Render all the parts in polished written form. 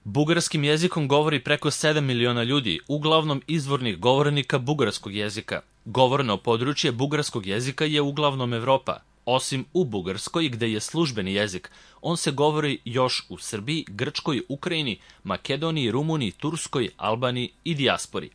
Bugarskim jezikom govori preko 7 miliona ljudi, uglavnom izvornih govornika bugarskog jezika. Govorno područje bugarskog jezika je uglavnom Evropa. Osim u Bugarskoj, gde je službeni jezik, on se govori još u Srbiji, Grčkoj, Ukrajini, Makedoniji, Rumuniji, Turskoj, Albaniji i dijaspori.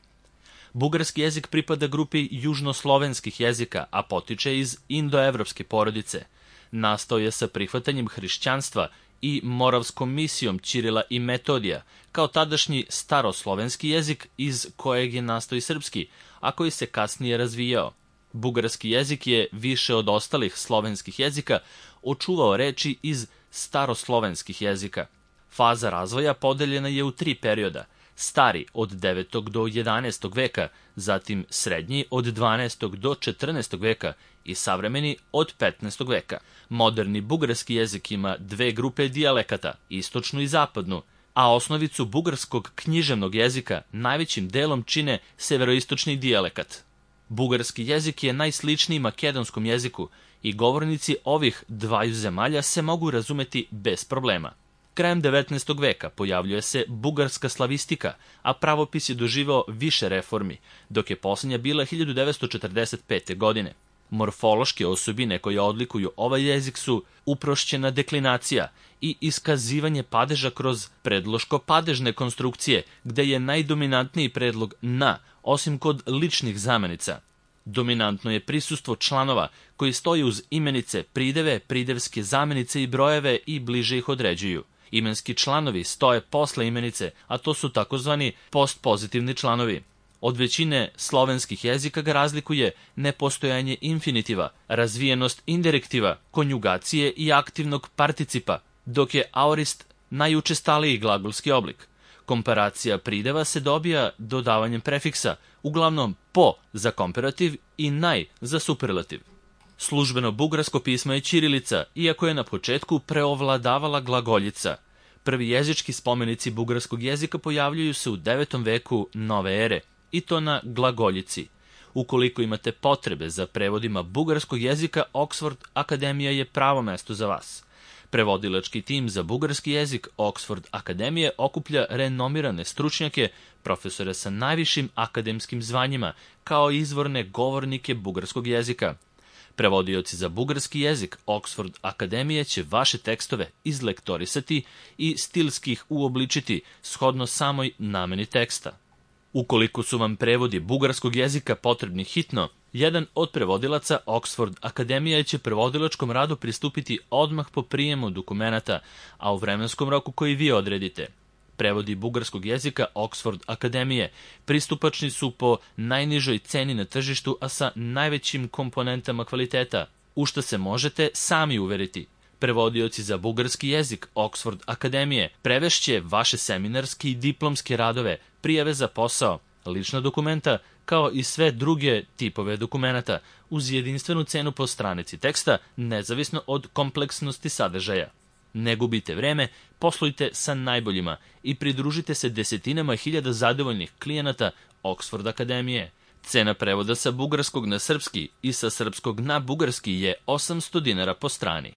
Bugarski jezik pripada grupi južnoslovenskih jezika, a potiče iz indoevropske porodice. Nastao je sa prihvatanjem hrišćanstva i moravskom misijom Ćirila i Metodija, kao tadašnji staroslovenski jezik iz kojeg je nastao i srpski, a koji se kasnije razvijao. Bugarski jezik je, više od ostalih slovenskih jezika, očuvao reči iz staroslovenskih jezika. Faza razvoja podeljena je u 3 perioda: stari od 9. do 11. veka, zatim srednji od 12. do 14. veka i savremeni od 15. veka. Moderni bugarski jezik ima 2 grupe dijalekata, istočnu i zapadnu, a osnovicu bugarskog književnog jezika najvećim delom čine severoistočni dijalekat. Bugarski jezik je najsličniji makedonskom jeziku i govornici ovih dvaju zemalja se mogu razumeti bez problema. Krajem 19. veka pojavljuje se bugarska slavistika, a pravopis je doživao više reformi, dok je posljednja bila 1945. godine. Morfološke osobine koje odlikuju ovaj jezik su uprošćena deklinacija i iskazivanje padeža kroz predloško-padežne konstrukcije, gde je najdominantniji predlog na, osim kod ličnih zamenica. Dominantno je prisustvo članova koji stoji uz imenice, prideve, pridevske zamenice i brojeve i bliže ih određuju. Imenski članovi stoje posle imenice, a to su takozvani postpozitivni članovi. Od većine slovenskih jezika ga razlikuje nepostojanje infinitiva, razvijenost indirektiva, konjugacije i aktivnog participa, dok je aorist najučestaliji glagolski oblik. Komparacija prideva se dobija dodavanjem prefiksa, uglavnom po za komparativ i naj za superlativ. Službeno bugarsko pismo je ćirilica, iako je na početku preovladavala glagoljica. Prvi jezički spomenici bugarskog jezika pojavljuju se u 9. veku nove ere, i to na glagoljici. Ukoliko imate potrebe za prevodima bugarskog jezika, Oxford Akademija je pravo mesto za vas. Prevodilački tim za bugarski jezik Oxford Akademije okuplja renomirane stručnjake, profesore sa najvišim akademskim zvanjima, kao i izvorne govornike bugarskog jezika. Prevodioci za bugarski jezik Oxford Akademije će vaše tekstove izlektorisati i stilski ih uobličiti shodno samoj nameni teksta. Ukoliko su vam prevodi bugarskog jezika potrebni hitno, jedan od prevodilaca Oxford Akademije će prevodilačkom radu pristupiti odmah po prijemu dokumenata, a u vremenskom roku koji vi odredite. Prevodi bugarskog jezika Oxford Akademije pristupačni su po najnižoj ceni na tržištu, a sa najvećim komponentama kvaliteta, u što se možete sami uveriti. Prevodioci za bugarski jezik Oxford Akademije prevešće vaše seminarske i diplomske radove, prijave za posao, lična dokumenta, kao i sve druge tipove dokumenata, uz jedinstvenu cenu po stranici teksta, nezavisno od kompleksnosti sadržaja. Ne gubite vreme, poslujte sa najboljima i pridružite se desetinama hiljada zadovoljnih klijenata Oxford Akademije. Cena prevoda sa bugarskog na srpski i sa srpskog na bugarski je 800 dinara po strani.